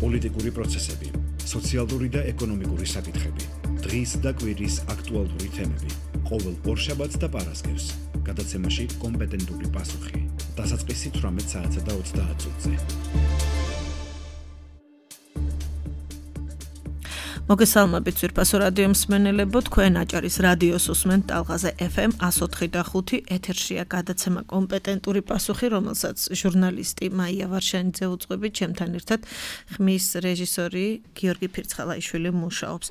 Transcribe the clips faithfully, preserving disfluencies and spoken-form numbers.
პოლიტიკური პროცესები, სოციალური და ეკონომიკური საკითხები, დღის და კვირის აქტუალური თემები, ყოველ ორშაბათს და პარასკევს, გადაცემაში კომპეტენტური პასუხი, დასაწყისი თვრამეტ საათსა და ოცდაათ წუთზე. მოგესალმებით ძვირფასო რადიო მსმენელებო, თქვენ აჭარის რადიოს უსმენთ ტალღაზე ეფ ემ εκατო ოთხი და ხუთი, ეთერშია გადაცემა კომპეტენტური პასუხი, რომელსაც ჟურნალისტი მაია ვარშანიძე უძღვებით, ჩემთან ერთად ხმის რეჟისორი გიორგი ფირცხალაიშვილი მუშაობს.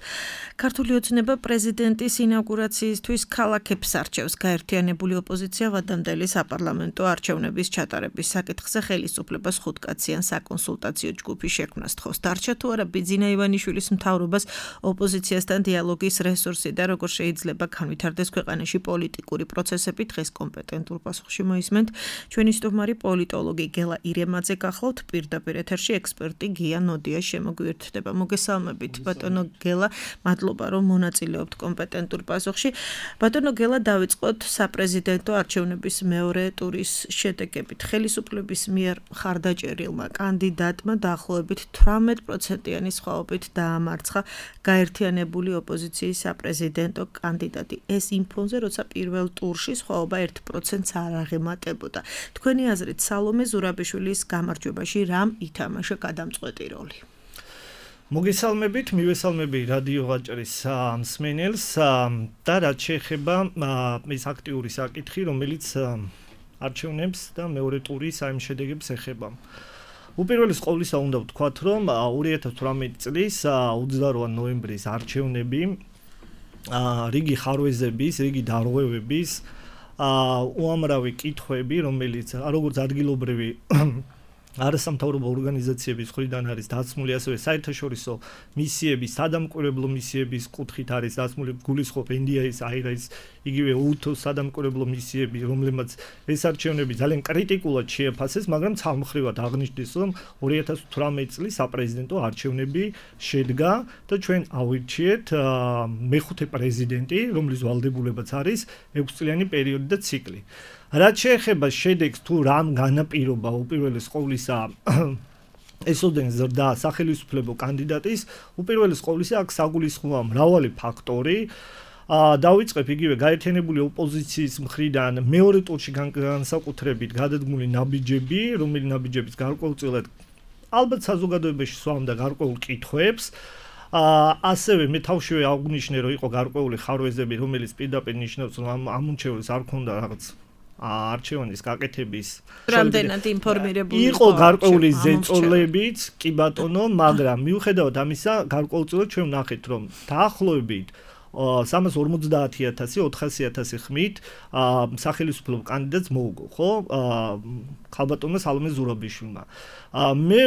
ქართული ოცნება პრეზიდენტის ინაუგურაციისთვის ქალაქებს არჩევს. გაერთიანებული ოპოზიცია ვადამდელი საპარლამენტო არჩევნების ჩატარების საკითხზე ხელისუფლებას ხუთკაციან საკონსულტაციო ჯგუფი შექმნას თხოვს. დარჩა თუ არა ბიძინა ივანიშვილის მთავრობას ოპოზიციასთან დიალოგის რესურსი და როგორ შეიძლება განვითარდეს ქვეყანაში პოლიტიკური პროცესები, დღეს კომპეტენტურ პასუხში მოისმენთ ჩვენი სტუმარი პოლიტოლოგი გელა ირემაძე. გახლავთ პირდაპირ ეთერში ექსპერტი გია ნოდია შემოგვიერთდება. მოგესალმებით ბატონო გელა, მადლობა რომ მონაწილეობთ კომპეტენტურ პასუხში. ბატონო გელა, დავიწყოთ საპრეზიდენტო არჩევნების მეორე ტურის შედეგებით. ხელისუფლების მიერ მხარდაჭერილმა კანდიდატმა დაახლოებით თვრამეტ პროცენტიანი სხვაობით დაამარცხა გაერთიანებული ოპოზიციის საპრეზიდენტო კანდიდატი. ეს იმ ფონზე, როცა პირველ ტურში სხვაობა ერთ პროცენტს არ აღემატებოდა. თქვენი აზრით, სალომე ზურაბიშვილის გამარჯვებაში რამ ითამაშა გადამწყვეტი როლი? მოგესალმებით, მივესალმები რადიო აჭარის მსმენელს და რაც შეეხება ეს აქტიური საკითხი, რომელიც არჩევნებს და მეორე ტურის აი ამ შედეგებს ეხება. უპირველეს ყოვლისა უნდა ვთქვათ, რომ ორი ათას თვრამეტი წლის ოცდაოთხ ნოემბრის არჩევნები რიგი ხარვეზების, რიგი დარღვევების, უამრავი კითხვები, რომელიც როგორც ადგილობრივი არასამთავრობო ორგანიზაციების მხრიდან არის დაცმული, ასევე საერთაშორისო მისიების, სადამკვირვებლო მისიების კუთხით არის დაცმული, გულისხმობ ენ დი აის, აირაის, იგივე უთოს სადამკვირვებლო მისიები, რომლებმაც ეს არჩევნები ძალიან კრიტიკულად შეაფასეს, მაგრამ ცალმხრივად აღნიშნეს, რომ ორი ათას თვრამეტი წლის საპრეზიდენტო არჩევნები შედგა და ჩვენ ავირჩიეთ მეხუთე პრეზიდენტი, რომლის ვალდებულებაც არის ექვსწლიანი პერიოდი და ციკლი. რაც შეეხება შედეგს, თუ რამ განაპირობა უპირველეს ყოვლისა ესოდენ ზრდა სახელისუფლებო კანდიდატის, უპირველეს ყოვლისა აქ საგულისხმოა მრავალი ფაქტორი. დავიწყებ იგივე გაერთიანებული ოპოზიციის მხრიდან მეორე ტურში განსაკუთრებით გადადგმული ნაბიჯები, რომელი ნაბიჯების გარკვეულწილად ალბათ საზოგადოებაში სვამდა გარკვეულ კითხვებს. ასევე მე თავშივე აღვნიშნე, რომ იყო გარკვეული ხარვეზები, რომელიც პირდაპირ ნიშნავს, რომ ამ ამუნჩევრს არ ქონდა რაღაც არჩევნის გაკეთების რამდენად ინფორმირებული იყო გარკვეული ზეწოლებიც, კი ბატონო, მაგრამ მიუხედავად ამისა, გარკვეულწილად ჩვენ ვნახეთ, რომ დაახლოებით სამას ორმოცდაათი ათასი, ოთხასი ათასი ხმით სახელისუფლებო კანდიდატს მოუგო, ხო? ხალბატონმა სალომე ზურაბიშვილმა. მე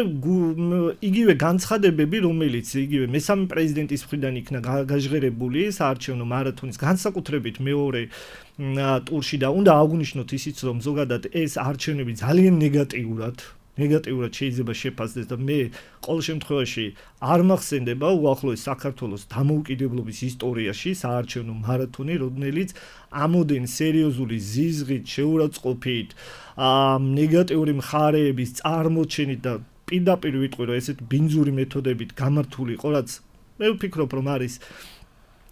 იგივე განცხადებები, რომელიც იგივე მესამე პრეზიდენტის მხრიდან იქნა გაჟღერებული საარჩევნო მარათონის განსაკუთრებით მეორე ტურში და უნდა აღვნიშნოთ ისიც, რომ ზოგადად ეს არჩევნები ძალიან ნეგატიურად ნეგატიურად შეიძლება შეფასდეს და მე ყოველ შემთხვევაში არ მახსენდება უახლოეს საქართველოს დამოუკიდებლობის ისტორიაში საარჩევნო მარათონი, რომელიც ამოდენ სერიოზული ზიზღით, შეურაცხყოფით, ნეგატიური მხარეების წარმოჩენით და პირდაპირ ვიტყვი, რომ ესეთ ბინძური მეთოდებით გამართული იყო, რაც მე ვფიქრობ, რომ არის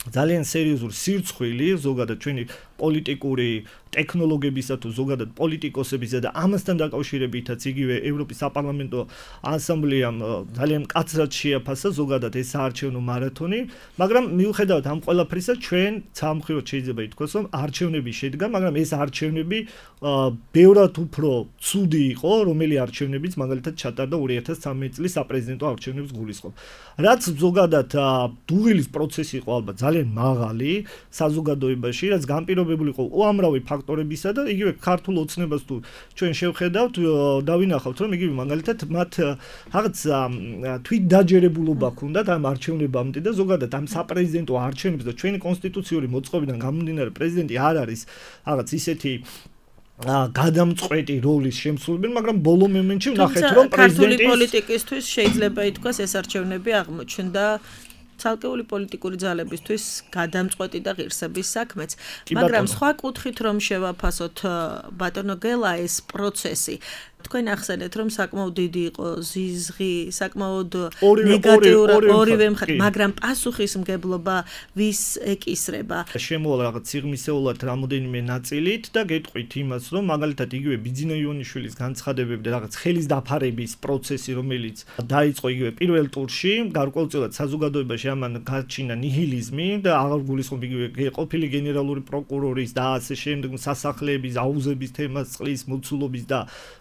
ძალიან სერიოზული სირცხვილი ზოგადად ჩვენი პოლიტიკური ტექნოლოგიებისა თუ ზოგადად პოლიტიკოსებისა და ამასთან დაკავშირებითაც იგივე ევროპის საპარლამენტო ასამბლეამ ძალიან მკაცრად შეაფასა ზოგადად ეს საარჩევნო მარათონი, მაგრამ მიუხედავად ამ ყველაფრისა ჩვენ ცალმხრივად შეიძლება ითქვას, რომ არჩევნები შედგა, მაგრამ ეს არჩევნები ბევრად უფრო ცუდი იყო, რომელი არჩევნებიც მაგალითად ჩატარდა ორი ათას ცხრამეტი წლის საპრეზიდენტო არჩევნებს გულისხმობ. რაც ზოგადად დუღილის პროცესი იყო ალბათ ძალიან მაღალი საზოგადოებაში, რაც განპირობებული იყო უამრავი ფაქტორებისა და იგივე ქართულ ოცნებას თუ ჩვენ შევხედავთ, დავინახავთ, რომ იგივე მაგალითად მათ რაღაც თვითდაჯერებულობა ჰქონდათ ამ არჩევნებამდე და ზოგადად ამ საპრეზიდენტო არჩევნებს და ჩვენი კონსტიტუციური მოწყობიდან გამომდინარე პრეზიდენტი არ არის რაღაც ისეთი გადამწყვეტი როლის შემსრულებელი, მაგრამ ბოლო მომენტში ვნახეთ, რომ პრეზიდენტის ქართული პოლიტიკისთვის შეიძლება ითქვას ეს არჩევნები აღმოჩნდა ცალკეული პოლიტიკური ძალებისთვის გადამწყვეტი და ღირსების საქმეც, მაგრამ სხვა კუთხით რომ შევაფასოთ ბატონო გელა ეს პროცესი თქვენ ახსენეთ, რომ საკმაოდ დიდი იყო ზიზღი, საკმაოდ ნეგატიურად ორივე მხარე, მაგრამ პასუხისმგებლობა ვის ეკისრება? შემოვალ რაღაც სიღრმისეულად რამოდენიმე ნაწილით და გეტყვით იმას, რომ მაგალითად იგივე ბიძინა იონიშვილის განცხადებები და რაღაც ხელის დაფარების პროცესი, რომელიც დაიწყო იგივე პირველ ტურში, გარკვეულწილად საზოგადოებაში ამან გაჩინა ნიჰილიზმი და აღარ გულისხმობ იგივე ყოფილი გენერალური პროკურორის და ასე შემდეგ სასახლეების აუზების თემას, წყლის მოცულობის და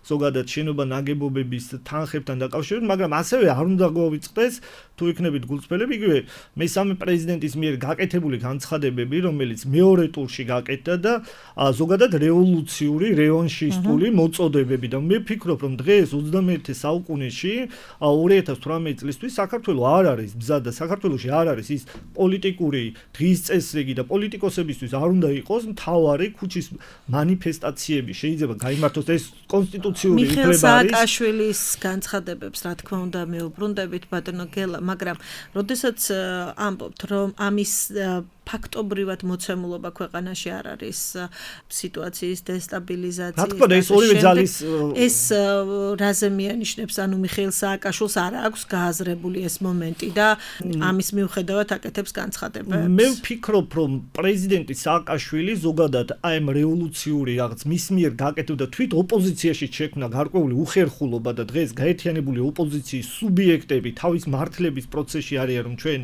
ზოგადად შენობა ნაგებობების თანხებთან დაკავშირებით, მაგრამ ასევე არ უნდა გვავიწყდეს თუ იქნებით გულწრფელები, იგივე მესამე პრეზიდენტის მიერ გაკეთებული განცხადებები, რომელიც მეორე ტურში გაკეთდა და ზოგადად რევოლუციური, რევანშისტული მოწოდებები და მე ვფიქრობ, რომ დღეს ოცდამეერთე საუკუნეში ორი ათას თვრამეტი წლისთვის საქართველოს არ არის ბზა და საქართველოში არ არის ის პოლიტიკური დღის წესრიგი და პოლიტიკოსებისთვის არ უნდა იყოს მთავარი ქუჩის მანიფესტაციები შეიძლება გაიმართოს ეს კონსტიტუციური უფლება არის. მიხეილ სააკაშვილის განცხადებებს რა თქმა უნდა მეუბრუნდებით ბატონო გელა, მაგრამ როდესაც ამბობთ რომ ამის ფაქტობრივად მოცემულობა ქვეყანაში არ არის სიტუაციის დესტაბილიზაციის. რა თქმა უნდა ეს ორივე ძალის ეს რაზე მიანიშნებს, ანუ მიხეილ სააკაშვილს არ აქვს გააზრებული ეს მომენტი და ამის მიუხედავად აკეთებს განცხადებებს. მე ვფიქრობ, რომ პრეზიდენტი სააკაშვილი ზოგადად აი ამ რევოლუციური რაღაც მის მიერ გაკეთებდა თვით ოპოზიციაში შექმნა გარკვეული უხერხულობა და დღეს გაერთიანებული ოპოზიციის სუბიექტები თავის მართლების პროცესში არიან, რომ ჩვენ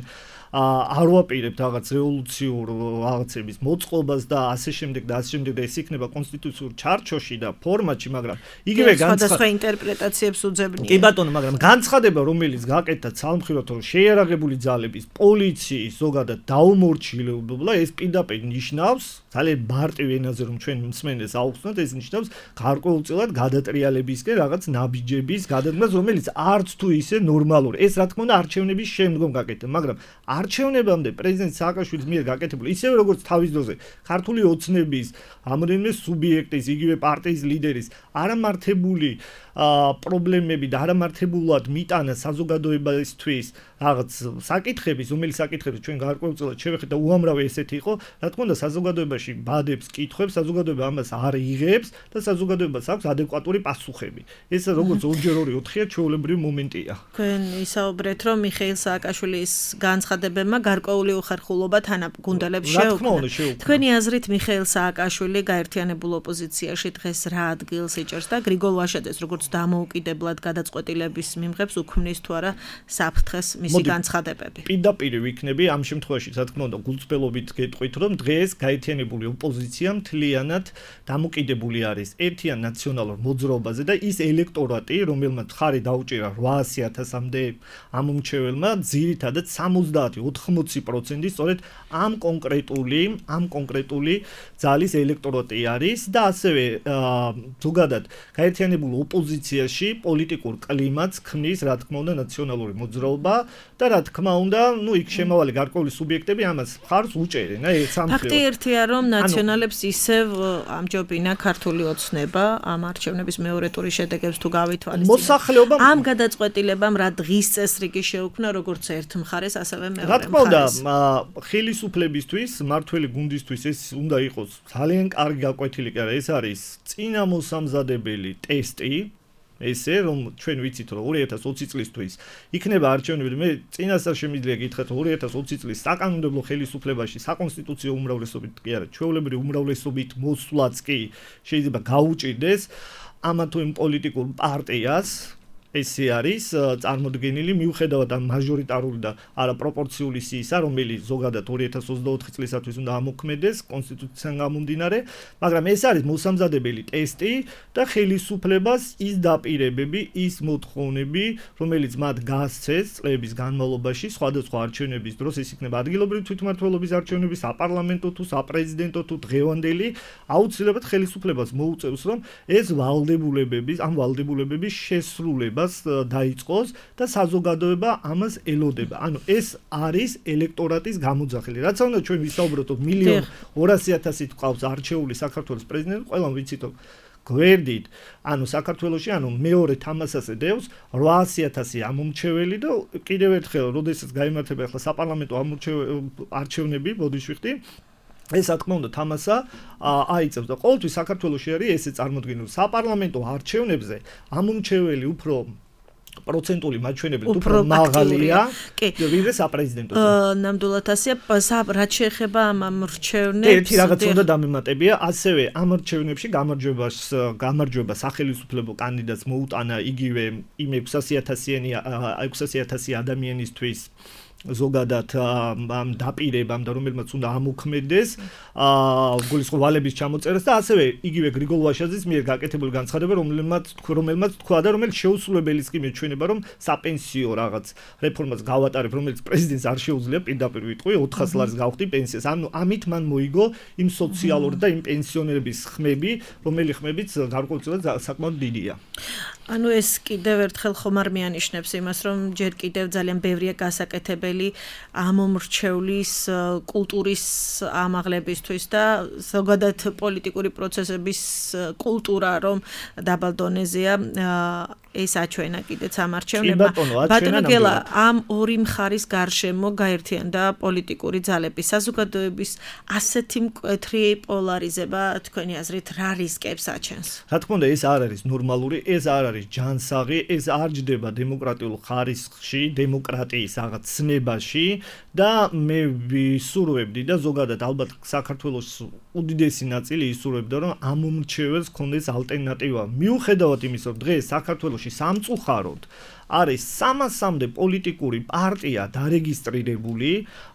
არ ვაპირებთ რაღაც რევოლუციურ რაღაცების მოწყობას და ასე შემდეგ და ასე შემდეგ და ეს იქნება კონსტიტუციურ ჩარჩოში და ფორმატში, მაგრამ იგივე განცხადება ინტერპრეტაციებს უძებნია. კი ბატონო, მაგრამ განცხადება, რომელიც გაკეთდა ცალმხრივად, რომ შეიარაღებული ძალების, პოლიციის ზოგადად დაუმორჩილებლობა, ეს პირდაპირ ნიშნავს, ძალიან მარტივ ენაზე რომ ჩვენ მსმენელს აუხსნათ, ეს ნიშნავს გარკვეულწილად გადატრიალებისკენ რაღაც ნაბიჯების გადადგმას, რომელიც არც თუ ისე ნორმალური. ეს რა თქმა უნდა არჩევნების შემდგომ გაკეთდა, მაგრამ არჩევნებამდე პრეზიდენტ სააკაშვილის მიერ გაკეთებული, ისევე როგორც თავის დროზე ქართული ოცნების რამოდენიმე სუბიექტის, იგივე პარტიის ლიდერის არამართებული პრობლემები და არამართებულად მიტანა საზოგადოებისთვის რაღაც საკითხების, რომელიც საკითხები ჩვენ გარკვეულწილად შევეხეთ და უამრავი ესეთი იყო, რა თქმა უნდა საზოგადოებაში ბადებს კითხვებს, საზოგადოება ამას არ იღებს და საზოგადოებას აქვს ადეკვატური პასუხები. ეს როგორც ორჯერ ორი ოთხია ჩვეულებრივი მომენტია. თქვენ ისაუბრეთ, რომ მიხეილ სააკაშვილის განცხადებებმა გარკვეული უხერხულობა თანაგუნდელებს შეუქმნა. თქვენი აზრით მიხეილ სააკაშვილი გაერთიანებულ ოპოზიციაში დღეს რა ადგილს იჭერს და გრიგოლ ვაშაძეს როგორც დამოუკიდებლად გადაწყვეტილების მიმღებს უქმნის თუ არა საფრთხეს მისი განცხადებები. პირდაპირ ვიქნები ამ შემთხვევაში, რა თქმა უნდა, გულწრფელობით გეტყვით, რომ დღეს გაერთიანებული ოპოზიცია მთლიანად დამოკიდებული არის ერთიან ნაციონალურ მოძრაობაზე და ის ელექტორატი, რომელმაც ხარი დაუჭირა რვაასი ათასამდე ამომრჩეველმა, ძირითადად სამოცდაათი ოთხმოცი პროცენტი სწორედ ამ კონკრეტული, ამ კონკრეტული ძალის ელექტორატი არის და ასევე ზოგადად გაერთიანებულ ოპოზიციაში პოლიტიკურ კლიმატს ქმნის, რა თქმა უნდა, ნაციონალური მოძრაობა და რა თქმა უნდა, ну იქ შემავალი გარკვეული სუბიექტები ამას მხარს უჭერენ, აი სამხედრო. ფაქტი ერთია, რომ ნაციონალებს ისევ ამჯობინა ქართული ოცნება ამ არჩევნების მეორე ტურის შედეგებს თუ გავითვალისწინებთ. მოსახლეობა ამ გადაწყვეტილებამ რა დღის წესრიგი შეუქმნა როგორც ერთ მხარეს, ასევე მეორე მხარეს. რა თქმა უნდა, ხელისუფლებისთვის, მართველი გუნდისთვის ეს უნდა იყოს ძალიან კარგი გაკვეთილი, კი არა, ეს არის წინამოსამზადებელი ტესტი. ესე რომ ჩვენ ვიცით რომ ორი ათას ოცი წლისთვის იქნება არჩევნები, მე წინასწარ შემიძლია გითხრათ ორი ათას ოცი წლის საკანონმდებლო ხელისუფლებაში საკონსტიტუციო უმრავლესობით კი არა, ჩვეულებრივი უმრავლესობით მოსვლაც კი შეიძლება გაუჭირდეს ამა თუ იმ პოლიტიკურ პარტიას. ესე არის წარმოდგენილი მიუხედავად ამ მაჟორიტარული და არაპროპორციული სიისა, რომელიც ზოგადად ორი ათას ოცდაოთხი წლისათვის უნდა ამოქმედეს კონსტიტუციიდან გამომდინარე, მაგრამ ეს არის მოსამზადებელი ტესტი და ხელისუფლებას ის დაპირებები, ის მოთხოვნები, რომელიც მათ გასცეს წლების განმავლობაში სხვადასხვა არჩევნების დროს, ეს იქნება ადგილობრივი თვითმმართველობის არჩევნები, საპარლამენტო თუ საპრეზიდენტო თუ დღევანდელი, აუცილებლად ხელისუფლებას მოუწევს, რომ ეს ვალდებულებების, ამ ვალდებულებების შესრულება დაიწყოს და საზოგადოება ამას ელოდება. ანუ ეს არის ელექტორატის გამოძახილი. რაც უნდა ჩვენ ვისაუბროთ, რომ მილიონ ორასი ათასით ყავს არჩეული საქართველოს პრეზიდენტი, ყველამ ვიცით, რომ გვერდით, ანუ საქართველოში, ანუ მეორე თამასაზე დევს რვაასი ათასი ამომრჩეველი და კიდევ ერთხელ, როდესაც გაიმართება ახლა საპარლამენტო არჩევნები, ბოდიშვიხტი ეს რა თქმა უნდა თამასა აიწევს და ყოველთვის საქართველოში არის ესე წარმოდგენილი საპარლამენტო არჩევნებზე ამომრჩეველი უფრო პროცენტული მაჩვენებელი უფრო მაღალია ვიდრე საპრეზიდენტოზე. ნამდვილად ასეა, რაც შეეხება ამ ამრჩევნებს. ერთი რაღაც უნდა დამემატებია, ასევე ამ არჩევნებში გამარჯვებას გამარჯვება სახელმწიფო კანდიდატს მოუტანა იგივე იმ ექვსასი ათასი ადამიანისთვის ზოგადად ამ დაპირებამ და რომელმაც უნდა ამოქმედეს გულისხმობ ვალების ჩამოწერას და ასევე იგივე გრიგოლ ვაშაძის მიერ გაკეთებული განცხადება რომელმაც რომელმაც თქვა და რომელიც შეუსრულებელიც კი მეჩვენება რომ საპენსიო რაღაც რეფორმას გავატარებ რომელიც პრეზიდენტს არ შეუძლია პირდაპირ ვიტყვი ოთხას ლარს გავხდი პენსიას ანუ ამით მან მოიგო იმ სოციალური და იმ პენსიონერების ხმები რომელი ხმებიც გარკვეულწილად საკმაოდ დიდია ანუ ეს კიდევ ერთხელ ხომ არ მიანიშნებს იმას რომ ჯერ კიდევ ძალიან ბევრია გასაკეთებელი ამომრჩევლის კულტურის ამაღლებისთვის და ზოგადად პოლიტიკური პროცესების კულტურა რომ დაბალ დონეზეა ეს აჩვენა კიდეც ამ არჩევნებმა ბატონო გელა ამ ორი მხარის გარშემო გაერთიანდა პოლიტიკური ძალები საზოგადოების ასეთი მკვეთრი პოლარიზება თქვენი აზრით რა რისკებს აჩენს რა თქმა უნდა ეს არ არის ნორმალური ეს არ არის ჯანსაღი ეს არ ჯდება დემოკრატიულ ხარისხში დემოკრატიის რაღაც ცნებაში და მე ვისურვებდი და ზოგადად ალბათ საქართველოს უდიდესი ნაწილი ისურვებდა რომ ამომრჩეველს ქონდეს ალტერნატივა მიუხედავად იმისა რომ დღეს საქართველოში სამწუხაროდ არის სამასამდე პოლიტიკური პარტია დარეგისტრირებული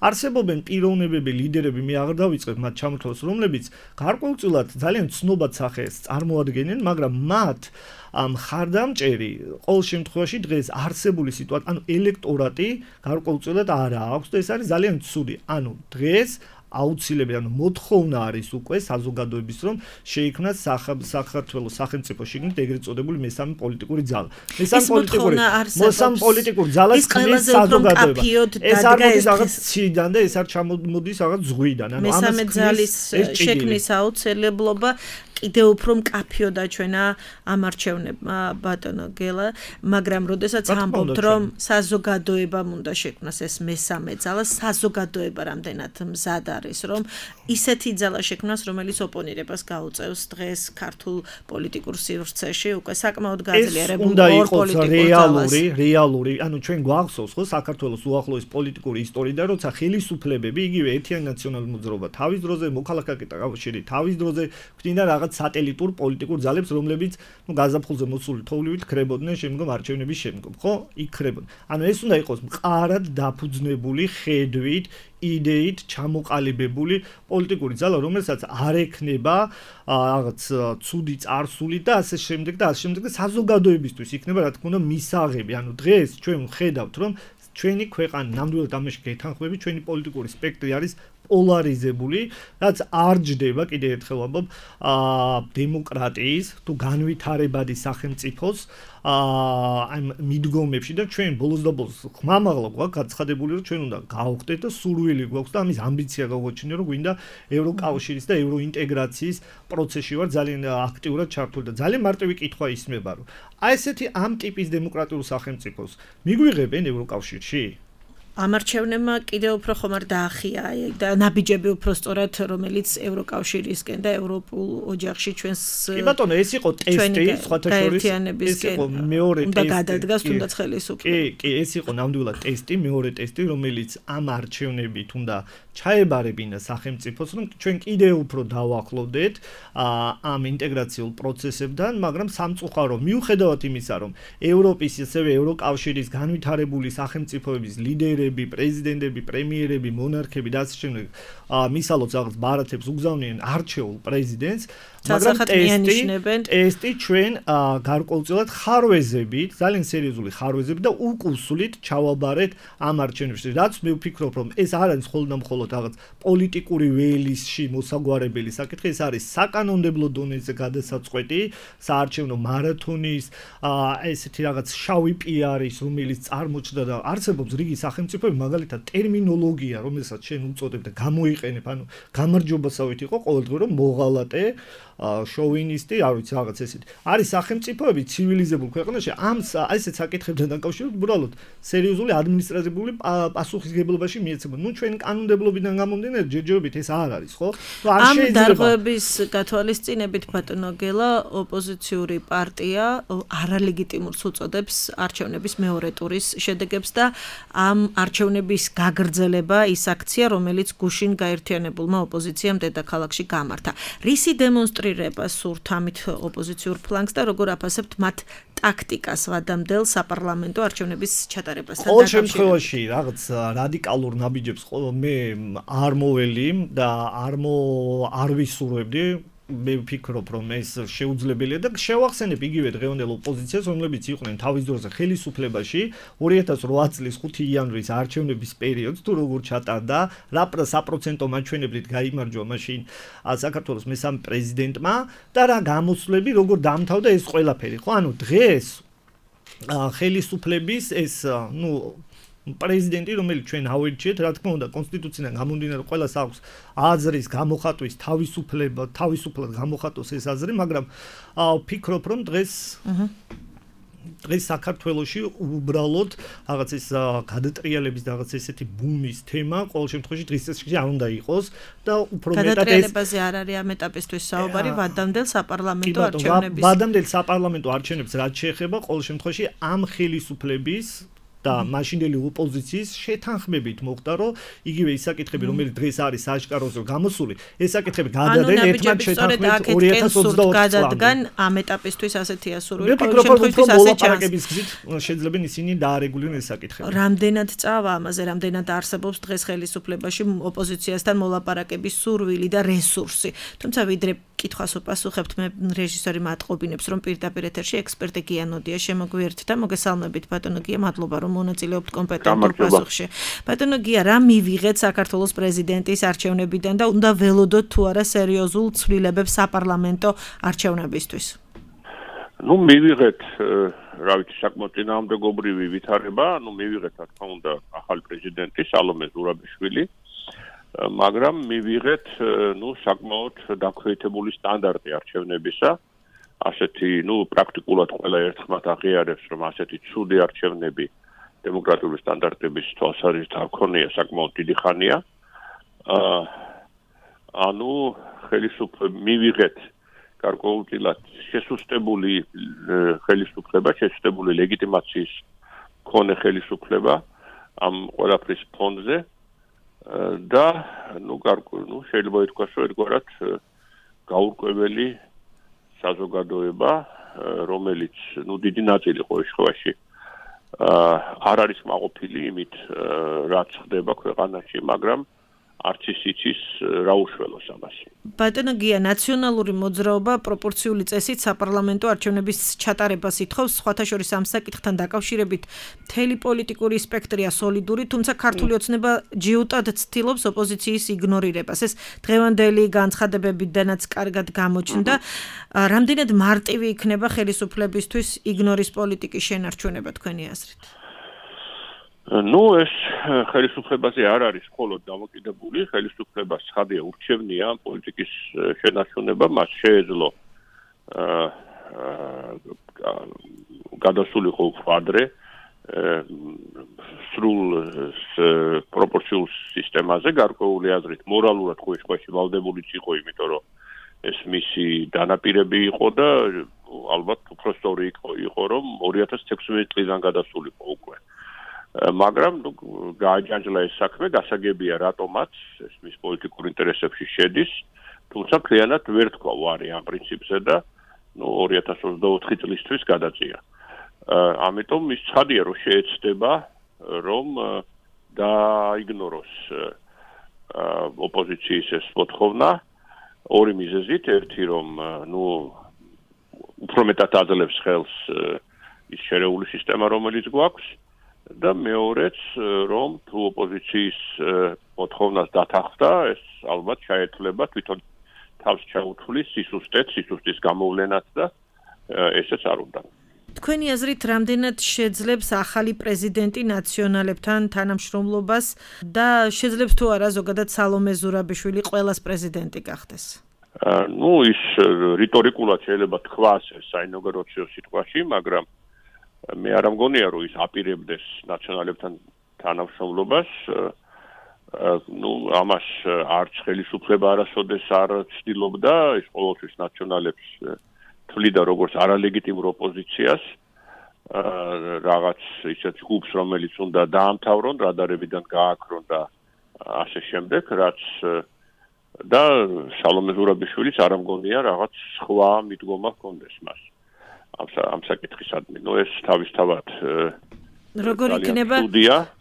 არსებობენ პიროვნებები ლიდერები მე აღარ დავიწყებ მათ ჩამოთვალს რომლებიც გარკვეულწილად ძალიან ცნობად სახეს წარმოადგენენ მაგრამ მათ ამ ხარდამჭერი ყოველ შემთხვევაში დღეს არსებული სიტუაცია ანუ ელექტორატი გარკვეულწილად არ აქვს და ეს არის ძალიან ცუდი ანუ დღეს აუცილებელი ანუ მოთხოვნა არის უკვე საზოგადოების რომ შეიქმნას საქართველოს სახელმწიფო შიგნით ეგრეთ წოდებული მესამე პოლიტიკური ძალა. მესამე პოლიტიკური მოსამ პოლიტიკური ძალას ქმნის საზოგადოება. ეს არ მოდის რაღაც ციდან და ეს არ ჩამოდის რაღაც ზღვიდან. ანუ მესამე ძალის შექმნის აუცილებლობა კიდევ უფრო მკაფიო დაჩვენა ამ არჩევნებმა ბატონო გელა, მაგრამ როდესაც ამბობთ რომ საზოგადოებამ უნდა შექმნას ეს მესამე ძალა, საზოგადოება რამდენად მზად არის რომ ისეთი ძალა შექმნას, რომელიც ოპონირებას გაუწევს დღეს ქართულ პოლიტიკურ სივრცეში, უკვე საკმაოდ გაძლიერებულ ორ პოლიტიკურ ძალას. რეალური, რეალური, ანუ ჩვენ გვახსოვს ხო საქართველოს უახლოეს პოლიტიკური ისტორიიდან, როცა ხელისუფლებები იგივე ერთიანი ნაციონალური მოძრაობა თავის დროზე, მოქალაქეთა კავშირი თავის დროზე გვინდა რაღაც სატელიტურ პოლიტიკურ ძალებს, რომლებიც ნუ გაზაფხულზე მოსული თოვლივით ქრებოდნენ შემდგომ არჩევნების შემდგომ, ხო? იქ ქრებოდნენ. ანუ ეს უნდა იყოს მყარად დაფუძნებული ხედვით, იდეით ჩამოყალიბებული პოლიტიკური ძალა, რომელსაც არ ექნება რაღაც ცუდი წარსული და ასე შემდეგ და ასე შემდეგ და საზოგადოებისთვის იქნება რა თქმა უნდა მისაღები. ანუ დღეს ჩვენ ვხედავთ, რომ ჩვენი ქვეყანა ნამდვილად ამაში გეთანხმები, ჩვენი პოლიტიკური სპექტრი არის პოლარიზებული, რაც არ ჯდება კიდე ერთხელ ვამბობ, აა დემოკრატიის თუ განვითარებადი სახელმწიფოს აა ამ მიდგომებში და ჩვენ ბოლოს და ბოლოს ხმამაღლა გვაქვს გაცხადებული რომ ჩვენ უნდა გავხდეთ და სურვილი გვაქვს და ამის ამბიცია გავაჩინე რომ გვინდა ევროკავშირის და ევროინტეგრაციის პროცესში ვარ ძალიან აქტიურად ჩართული და ძალიან მარტივი კითხვა ისმება რომ აი ესეთი ამ ტიპის დემოკრატიულ სახელმწიფოს მიგვიღებენ ევროკავშირში ამარჩევნებმა კიდევ უფრო ხომ არ დაახია და ნაბიჯები უფრო სწორად რომელიც ევროკავშირისკენ და ევროპულ ოჯახში ჩვენს კი ბატონო ეს იყო ტესტი სხვათა შორის ეს იყო მეორე ტესტი უნდა გადადგას თუნდაც ხელისუფლება კი კი ეს იყო ნამდვილად ტესტი მეორე ტესტი რომელიც ამ არჩევნებით უნდა ჩაებარებინა სახელმწიფოს რომ ჩვენ კიდევ უფრო დავახლოვდეთ ამ ინტეგრაციულ პროცესებთან მაგრამ სამწუხარო მიუხედავად იმისა რომ ევროპის ისევე ევროკავშირის განვითარებული სახელმწიფოების ლიდერები პრეზიდენტები, პრემიერები, მონარქები და ასე შემდეგ მისალოც რაღაც ბარათებს უგზავნიან არჩეულ პრეზიდენტს, მაგრამ ტესტი ტესტი ჩვენ გარკვეულწილად ხარვეზებით, ძალიან სერიოზული ხარვეზებით და უკუსლით ჩავაბარეთ ამ არჩევნებში. რაც მე ვფიქრობ, რომ ეს არ არის მხოლოდ და მხოლოდ რაღაც პოლიტიკური ველისში მოსაგვარებელი საკითხი, ეს არის საკანონმდებლო დონეზე გადასაწყვეტი, საარჩევნო მარათონის, ესეთი რაღაც შავი პიარის, რომელიც წარმოჩნდა და არსებობს რიგი სახელმწიფოები, მაგალითად ტერმინოლოგია, რომელსაც შენ უწოდებ და გამოიყენებ, ანუ გამარჯვებასავით იყო ყოველდღე რომ მოღალატე შოვინისტი, არ ვიცი რაღაც ესეთი. არის სახელმწიფოები ცივილიზებულ ქვეყანაში ამ ესეთ საკითხებთან დაკავშირებით უბრალოდ სერიოზული ადმინისტრატიული პასუხისგებლობაში მიეცემა. ნუ ჩვენ კანონმდებლობიდან გამომდინარე ჯერჯერობით ეს არ არის, ხო? ამ დარღვევების გათვალისწინებით ბატონო გელა ოპოზიციური პარტია არალეგიტიმურს უწოდებს არჩევნების მეორე ტურის შედეგებს და ამ არჩევნების გაგრძელება ის აქცია, რომელიც გუშინ გაერთიანებულმა ოპოზიციამ დედაქალაქში გამართა. რისი დემონსტრირება სურთ ამით ოპოზიციურ ფლანგს და როგორ აფასებთ მათ ტაქტიკას ვადამდელ საპარლამენტო არჩევნების ჩატარებასთან დაკავშირებით? ყოველ შემთხვევაში რაღაც რადიკალურ ნაბიჯებს მე არ მოველი და არ მო არ ვისურვებდი. მე ვფიქრობ, რომ ეს შეუძლებელია და შევახსენებ იგივე დღევანდელ ოპოზიციას, რომლებიც იყვნენ თავის დროზე ხელისუფლებაში ორი ათას ოთხ წლის ხუთი იანვრის არჩევნების პერიოდს თუ როგორ ჩატარდა, რა საპროცენტო მაჩვენებლით გაიმარჯვა მაშინ საქართველოს მესამე პრეზიდენტმა და რა გამოსვლები როგორ დამთავრდა ეს ყველაფერი, ხო? ანუ დღეს ხელისუფლების ეს, ნუ პრეზიდენტი, რომელიც ჩვენ ავირჩიეთ, რა თქმა უნდა, კონსტიტუციიდან გამომდინარე ყველას აქვს აზრის გამოხატვის თავისუფლება, თავისუფლად გამოხატოს ეს აზრი, მაგრამ ვფიქრობ, რომ დღეს დღეს საქართველოში უბრალოდ რაღაც ეს გადატრიალების რაღაც ესეთი ბუმის თემა ყოველ შემთხვევაში დღეს წესში არ უნდა იყოს და უფრო მეტად ეს გადატრიალებაზე არ არის ამ ეტაპისთვის საუბარი ვადამდელ საპარლამენტო არჩევნების. ვადამდელ საპარლამენტო არჩევნებს რაც შეეხება ყოველ შემთხვევაში ამ ხელისუფლების და მაშინდელი ოპოზიციის შეთანხმებით მოხდა, რომ იგივე ის საკითხები, რომელიც დღეს არის სააშკაროზე გამოსული, ეს საკითხები გადადენ ერთმანეთს შეთანხმებით ორი ათას ოცდაოთხ გადადგან ამ ეტაპისთვის ასეთია სურვილი. მე ვფიქრობ, რომ უფრო მოლაპარაკების გზით შეიძლება ისინი დაარეგულირონ ეს საკითხები. რამდენად წავა ამაზე, რამდენად არსებობს დღეს ხელისუფლებაში ოპოზიციასთან მოლაპარაკების სურვილი და რესურსი. თუმცა ვიდრე კითხვას უპასუხებთ, მე რეჟისორი მატყობინებს, რომ პირდაპირ ეთერში ექსპერტი გია ნოდია შემოგვიერთდა და მოგესალმებით ბატონო გია, მადლობა რომ მონაწილეობთ კომპეტენტურ პასუხში. ბატონო გია, რა მივიღეთ საქართველოს პრეზიდენტის არჩევნებიდან და უნდა ველოდოთ თუ არა სერიოზულ ცვლილებებს საპარლამენტო არჩევნებისთვის? ნუ მივიღეთ, რა ვიცი, საკმაოდ წინააღმდეგობრივი ვითარება, ნუ მივიღეთ, რა თქმა უნდა, ახალი პრეზიდენტი სალომე ზურაბიშვილი, მაგრამ მივიღეთ, ნუ საკმაოდ დაქვეითებული სტანდარტი არჩევნებისა. ასეთი, ნუ პრაქტიკულად ყველა ერთხმად აღიარებს, რომ ასეთი ცუდი არჩევნები დემოკრატიული სტანდარტების თვალსაზრისით არ ქონია საკმაოდ დიდი ხანია. აა ანუ ხელისუფლება მივიღეთ გარკვეულწილად შესუსტებული ხელისუფლება, შესუსტებული ლეგიტიმაციის მქონე ხელისუფლება ამ ყველაფრის ფონზე და ნუ ნუ შეიძლება ითქვას, რომ ერთგვარად გაურკვეველი საზოგადოება, რომელიც ნუ დიდი ნაწილი ყოველ შემთხვევაში არ არის მაყოფილი იმით, რაც ხდება ქვეყანაში, მაგრამ არც ის იცის რა უშველოს ამას. ბატონო გია, ნაციონალური მოძრაობა პროპორციული წესით საპარლამენტო არჩევნების ჩატარებას ითხოვს, სხვათა შორის ამ საკითხთან დაკავშირებით მთელი პოლიტიკური სპექტრია სოლიდური, თუმცა ქართული ოცნება ჯიუტად ცდილობს ოპოზიციის იგნორირებას. ეს დღევანდელი განცხადებებიდანაც კარგად გამოჩნდა. რამდენად მარტივი იქნება ხელისუფლებისთვის იგნორის პოლიტიკის შენარჩუნება თქვენი აზრით? ნუ ეს ხელისუფლებაზე არ არის მხოლოდ დამოკიდებული, ხელისუფლებას ხადია ურჩევნია პოლიტიკის შენარჩუნება, მას შეეძლო გადასულიყო უფრო ადრე სრულ პროპორციულ სისტემაზე, გარკვეული აზრით მორალურად ხო შეხვეში ვალდებულიც იყო, იმიტომ რომ ეს მისი დანაპირები იყო და ალბათ უფრო სწორი იყო, რომ ორი ათას თექვსმეტ წლიდან გადასულიყო უკვე. მაგრამ ნუ გააჯანჯლა ეს საქმე, გასაგებია რატომაც ეს მის პოლიტიკურ ინტერესებში შედის, თუმცა მთლიანად ვერ თქვა ვარი ამ პრინციპზე და ნუ ორი ათას ოცდაოთხი წლისთვის გადაწია. ამიტომ ის ცხადია, რომ შეეცდება, რომ დაიგნოროს ოპოზიციის ეს მოთხოვნა ორი მიზეზით, ერთი რომ ნუ უფრო მეტად აძლევს ხელს ის შერეული სისტემა, რომელიც გვაქვს და მეორეც რომ თუ ოპოზიციის მოთხოვნას დათანხმდა, ეს ალბათ შეეძლება თვითონ თავს ჩაუთვლის სისუსტეც, სისუსტის გამოვლენაც და ესეც არ უნდა. თქვენი აზრით, რამდენად შეძლებს ახალი პრეზიდენტი ნაციონალებთან თანამშრომლობას და შეძლებს თუ არა ზოგადად სალომე ზურაბიშვილი ყველას პრეზიდენტი გახდეს? ну ის რიტორიკულად შეიძლება თქვას საინოგრაციო სიტყვაში, მაგრამ მე არ ამგონია რომ ის აპირებდეს ნაციონალებთან თანამშრომლობას. ну ამას არც ხელისუფლება არასოდეს არ ცდილობდა, ის ყოველთვის ნაციონალებს თვლიდა როგორც არალეგიტიმურ ოპოზიციას. რაღაც ისეთ ჯგუფს, რომელიც უნდა დაამთავრონ, რადარებიდან გააქრონ და ასე შემდეგ, რაც და სალომე ზურაბიშვილის არ ამგონია რაღაც სხვა მიდგომა ჰქონდეს მას. ამ ამ საკითხისადმი. ნუ ეს თავისთავად როგორ იქნება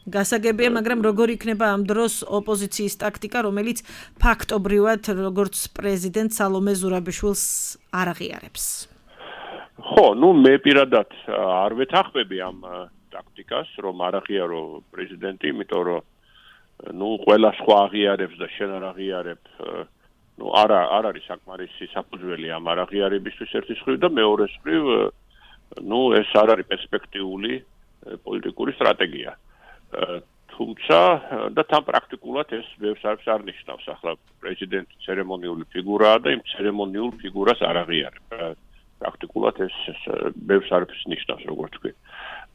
გასაგებია, მაგრამ როგორ იქნება ამ დროს ოპოზიციის ტაქტიკა, რომელიც ფაქტობრივად როგორც პრეზიდენტ სალომე ზურაბიშვილს არ აღიარებს. ხო, ну მე პირადად არ ვეთანხმები ამ ტაქტიკას, რომ არ აღიარო პრეზიდენტი, იმიტომ რომ ну ყველა სხვა აღიარებს და შენ არ აღიარებ, ну არა არ არის საკმარისი საფუძველი ამ არ აღიარებისთვის ერთის მხრივ და მეორეს მხრივ, ну ეს არ არის პერსპექტიული პოლიტიკური სტრატეგია. თუმცა და თან პრაქტიკულად ეს ბევრს არ ნიშნავს. ახლა პრეზიდენტი ცერემონიული ფიგურაა და იმ ცერემონიულ ფიგურას არ აღიარებ. პრაქტიკულად ეს ბევრს არ ნიშნავს, როგორც თქვი.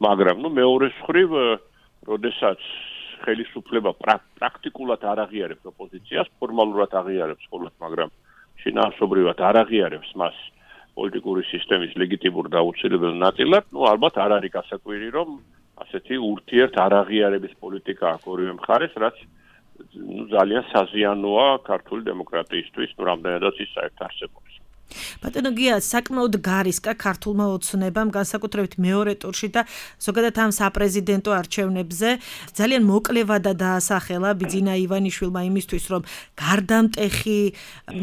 მაგრამ ну მეორეს მხრივ, როდესაც ხელისუფლება პრაქტიკულად არ აღიარებს ოპოზიციას, ფორმალურად აღიარებს მხოლოდ, მაგრამ შინაარსობრივად არ აღიარებს მას პოლიტიკური სისტემის ლეგიტიმურ და აუცილებელ ნაწილად, ну ალბათ არ არის გასაკვირი, რომ ასეთი ურთიერთ არაღიარების პოლიტიკა აქვს ორივე მხარეს, რაც ну ძალიან საზიანოა ქართული დემოკრატიისთვის, ну რამდენადაც ის საერთოდ არსებობს. ბატონო გია, საკმაოდ გარისკა ქართულმა ოცნებამ, განსაკუთრებით მეორე ტურში და ზოგადად ამ საპრეზიდენტო არჩევნებზე ძალიან მოკლევადა დაასახელა ბიძინა ივანიშვილმა იმისთვის, რომ გარდამტეხი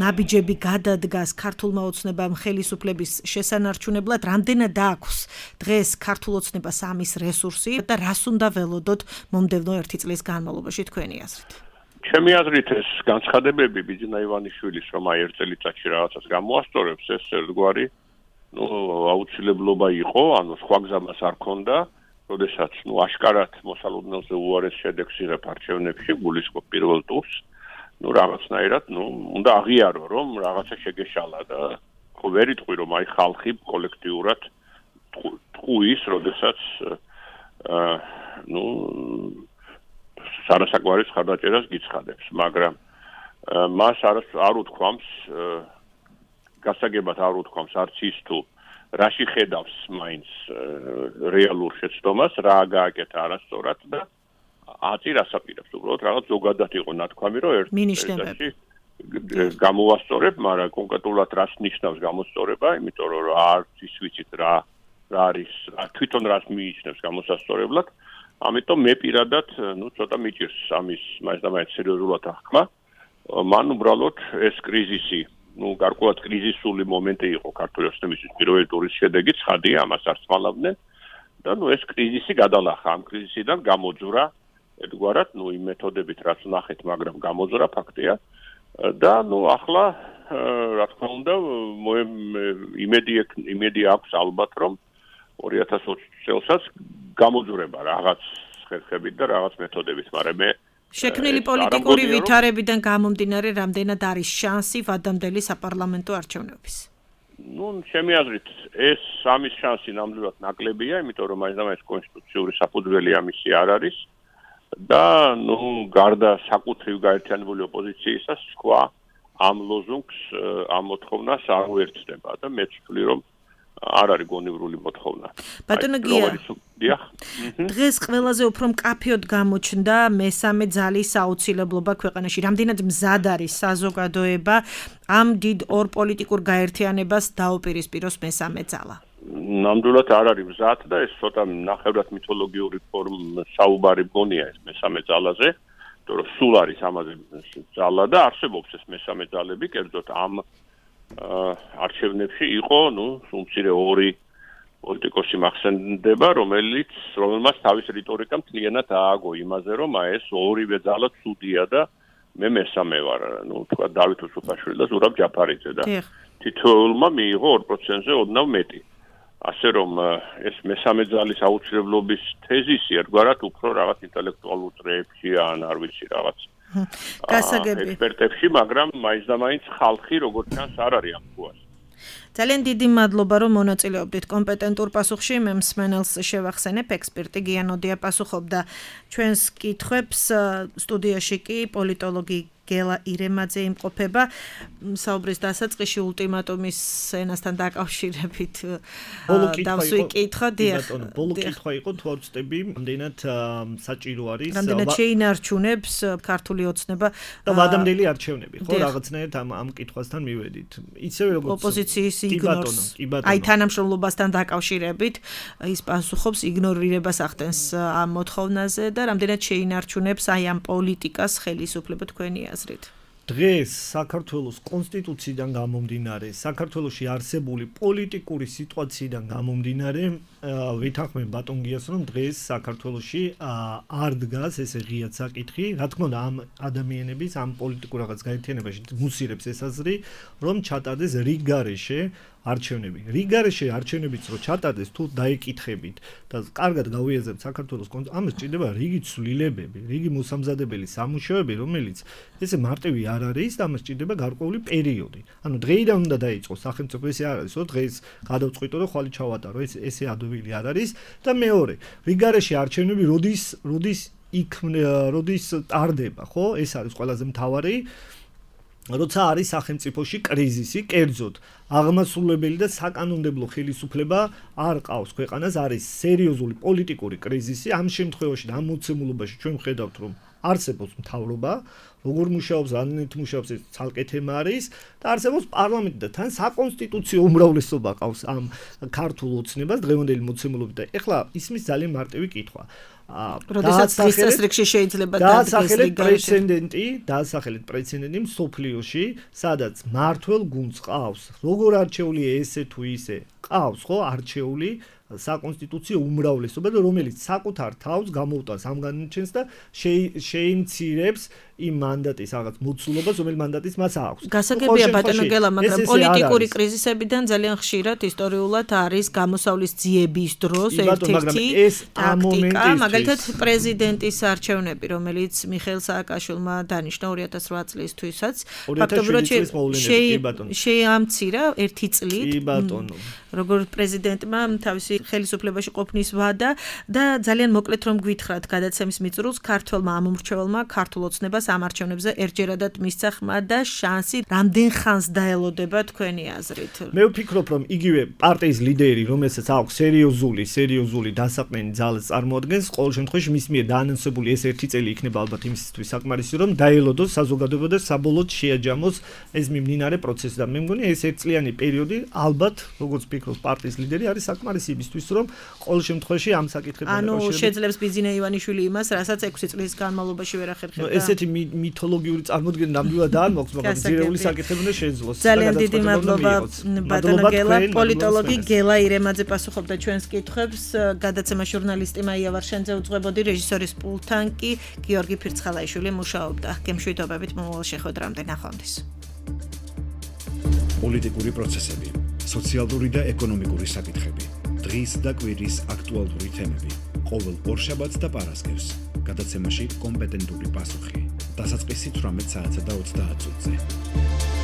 ნაბიჯები გადადგას ქართულმა ოცნებამ ხელისუფლების შესანარჩუნებლად, რამდენად აქვს დღეს ქართულ ოცნებას ამის რესურსი და რას უნდა ველოდოთ მომდევნო ერთი წლის განმავლობაში თქვენი აზრით? ჩემი აზრით ეს განცხადებები ბიძინა ივანიშვილის, რომ აი ერთ წელიწადში რაღაცას გამოასწორებს, ეს ერთგვარი ну აუცილებლობა იყო, ანუ სხვა გზამას არ ქონდა, როდესაც ну აშკარად მოსალოდნელზე უარეს შედეგს იღებ არჩევნებში, გულისხმობ პირველ ტურს, ну რაღაცნაირად, ну უნდა აღიარო, რომ რაღაცა შეგეშალა და ხო ვერ იტყვი, რომ აი ხალხი კოლექტიურად ტყუის, როდესაც აა ну სარასაკვარის ხარდაჭერას გიცხადებს, მაგრამ მას არ არ უთქვამს გასაგებად არ უთქვამს არც ის თუ რაში ხედავს მაინც რეალურ შეცდომას, რა გააკეთა არასწორად და აწი რას აპირებს, უბრალოდ რაღაც ზოგადად იყო ნათქვამი, რომ ერთ მინიშნებები გამოვასწორებ, მაგრამ კონკრეტულად რას ნიშნავს გამოსწორება, იმიტომ რომ არც ის ვიცით რა რა არის, თვითონ რას მიიჩნევს გამოსასწორებლად. ამიტომ მე პირადად, ну, ცოტა მიჭირს ამის მაინც და მაინც სერიოზულად აღქმა. მან უბრალოდ ეს კრიზისი, ну, გარკვეულად კრიზისული მომენტი იყო ქართული ოცნებისთვის პირველი ტურის შედეგი, ცხადია, ამას არ სმალავდნენ და ну, ეს კრიზისი გადალახა, ამ კრიზისიდან გამოძვრა, ერთგვარად, ну, იმ მეთოდებით, რაც ნახეთ, მაგრამ გამოძვრა ფაქტია და ну, ახლა, რა თქმა უნდა, იმედი იმედი აქვს ალბათ, რომ ორი ათას ოცი წელსაც გამოძვრება რაღაც ხერხებით და რაღაც მეთოდებით, მაგრამ მე შექმნილი პოლიტიკური ვითარებიდან გამომდინარე, რამდენად არის შანსი ვადამდელი საპარლამენტო არჩევნების? ну, ჩემი აზრით, ეს ამის შანსი ნამდვილად ნაკლებია, იმიტომ რომ მაინც და მაინც კონსტიტუციური საფუძველი ამისი არ არის და ну, გარდა საკუთრივ გაერთიანებული ოპოზიციისა, სხვა ამ ლოზუნგს, ამ მოთხოვნას არ უერთდება და მე ვთვლი, რომ არ არის გონივრული მოთხოვნა. ბატონო გია, დღეს ყველაზე უფრო მკაფიოდ გამოჩნდა მესამე ძალის აუცილებლობა ქვეყანაში. რამდენად მზად არის საზოგადოება ამ დიდ ორ პოლიტიკურ გაერთიანებას დაუპირისპიროს მესამე ძალა? ნამდვილად არ არის მზად და ეს ცოტა ნახევრად მითოლოგიური ფორმ საუბარი მგონია ეს მესამე ძალაზე, იმიტომ რომ სულ არის ამაზე ძალა და არსებობს ეს მესამე ძალები, კერძოდ ამ არჩევნებში იყო, ну, სულ მცირე ორი პოლიტიკოსი მახსენდება, რომელიც რომელმაც თავის რიტორიკა მთლიანად ააგო იმაზე, რომ ეს ორივე ძალა ცუდია და მე მესამე ვარ, ну, თქვა დავით უსუფაშვილი და ზურაბ ჯაფარიძე და თითოეულმა მიიღო ორ პროცენტზე ოდნავ მეტი. ასე რომ ეს მესამე ძალის აუცილებლობის თეზისი ერთგვარად უფრო რაღაც ინტელექტუალურ წრეებში ან არ ვიცი რაღაც გასაგები ექსპერტებში, მაგრამ მაინც და მაინც ხალხი როგორც ჩანს არ არის ამ ფუას. ძალიან დიდი მადლობა რომ მონაწილეობდით კომპეტენტურ პასუხში. მე მსმენელს შევახსენებ, ექსპერტი გიანოდია პასუხობდა ჩვენს კითხვებს. სტუდიაში კი პოლიტოლოგი გელა ირემაძე იმყოფება. საუბრის დასაწყისში ულტიმატუმის ენასთან დაკავშირებით დავსვი კითხვა. დიახ, ბოლო კითხვა იყო თუ არ ვწდები, რამდენად საჭირო არის რამდენად შეინარჩუნებს ქართული ოცნება და ვადამდელი არჩევნები, ხო, რაღაცნაირად ამ ამ კითხვასთან მივედით. ისევე როგორც ოპოზიციის იგნორს, აი თანამშრომლობასთან დაკავშირებით ის პასუხობს, იგნორირებას ახდენს ამ მოთხოვნაზე და რამდენად შეინარჩუნებს აი ამ პოლიტიკას ხელისუფლება თქვენი აზრით. დღეს საქართველოს კონსტიტუციიდან გამომდინარე, საქართველოში არსებული პოლიტიკური სიტუაციიდან გამომდინარე, ვითანხმებ ბატონ გიას, რომ დღეს საქართველოში არ დგას ესე ღიად საკითხი, რა თქმა უნდა ამ ადამიანების ამ პოლიტიკურ რაღაც გაერთიანებაში მუსირებს ეს აზრი, რომ ჩატარდეს რიგ გარეშე არჩევნები. რიგ გარეშე არჩევნებიც რო ჩატარდეს, თუ დაიკითხებით და კარგად გავიაზრებთ საქართველოს ამას ჭირდება რიგი ცვლილებები, რიგი მოსამზადებელი სამუშაოები, რომელიც ესე მარტივი არ არის და ამას ჭირდება გარკვეული პერიოდი. ანუ დღეიდან უნდა დაიწყოს სახელმწიფო, ესე არ არის, რომ დღეს გადავწყვიტო და ხვალე ჩავატარო, ეს ესე ადვილი არ არის და მეორე, რიგ გარეშე არჩევნები როდის როდის იქ როდის ტარდება, ხო? ეს არის ყველაზე მთავარი. როცა არის სახელმწიფოში კრიზისი, კერძოდ აღმასრულებელი და საკანონმდებლო ხელისუფლება არ ყავს ქვეყანას, არის სერიოზული პოლიტიკური კრიზისი. ამ შემთხვევაში და ამ მოცემულობაში ჩვენ ვხედავთ, რომ არსებობს მთავრობა, როგორ მუშაობს, რანაირად მუშაობს, ეს ცალკე თემა არის და არსებობს პარლამენტი და თან საკონსტიტუციო უმრავლესობა ყავს ამ ქართულ ოცნებას დღევანდელი მოცემულობით და ეხლა ისმის ძალიან მარტივი კითხვა. როდესაც დღის წესრიგში შეიძლება დაასახელეთ პრეცედენტი, დაასახელეთ პრეცედენტი მსოფლიოში, სადაც მართველ გუნდს ყავს, როგორ არჩეული ესე თუ ისე, ყავს ხო არჩეული საკონსტიტუციო უმრავლესობა და რომელიც საკუთარ თავს გამოუტანს ამ განაჩენს და შეიმცირებს იმ მანდატის რაღაც მოცულობას, რომელიც მანდატის მას აქვს. გასაგებია ბატონო გელა, მაგრამ პოლიტიკური კრიზისებიდან ძალიან ხშირად ისტორიულად არის გამოსავლის ძიების დროს ერთ-ერთი ტაქტიკა, მაგალითად პრეზიდენტის არჩევნები, რომელიც მიხეილ სააკაშვილმა დანიშნა ორი ათას რვა წლისთვისაც, ფაქტობრივად შეამცირა ერთი წლით. კი ბატონო. როგორც პრეზიდენტმა თავისი ხელისუფლებაში ყოფნის ვადა და ძალიან მოკლედ რომ გვითხრათ გადაცემის მიწურულს ქართველმა ამომრჩეველმა ქართულ ოცნებას ამ არჩევნებზე ერთჯერადად მისცა ხმა და შანსი რამდენ ხანს დაელოდება თქვენი აზრით? მე ვფიქრობ რომ იგივე პარტიის ლიდერი რომელსაც აქვს სერიოზული სერიოზული დასაყრდენი ძალა წარმოადგენს ყოველ შემთხვევაში მის მიერ დაანონსებული ეს ერთი წელი იქნება ალბათ იმისთვის საკმარისი რომ დაელოდოს საზოგადოება და საბოლოოდ შეაჯამოს ეს მიმდინარე პროცესი და მე მგონი ეს ერთწლიანი პერიოდი ალბათ როგორც ფიქრობს პარტიის ლიდერი არის საკმარისი იმისთვის რომ ყოველ შემთხვევაში ამ საკითხებთან დაკავშირებით ანუ შეძლებს ბიზნე ივანიშვილი იმას რასაც ექვსი წლის განმავლობაში ვერ ახერხებდა ესეთი მითოლოგიური წარმოდგენა ნამდვილად არ მოხს მაგრამ ძირეული საკითხები უნდა შეძლოს ძალიან დიდი მადლობა ბატონო გელა პოლიტოლოგი გელა ირემაძე პასუხობდა ჩვენს კითხვებს გადაცემა ჟურნალისტი მაია ვარშენძე უძღვებოდი რეჟისორის პულტთან კი გიორგი ფირცხალაიშვილი მუშაობდა გემშვიდობებით მომავალ შეხვედრამდე ნახვამდის პოლიტიკური პროცესები სოციალური და ეკონომიკური საკითხები დღის და კვირის აქტუალური თემები ყოველ ორშაბათს და პარასკევს გადაცემაში კომპეტენტური პასუხი დასაწყისი თვრამეტ საათსა და ოცდაათ წუთზე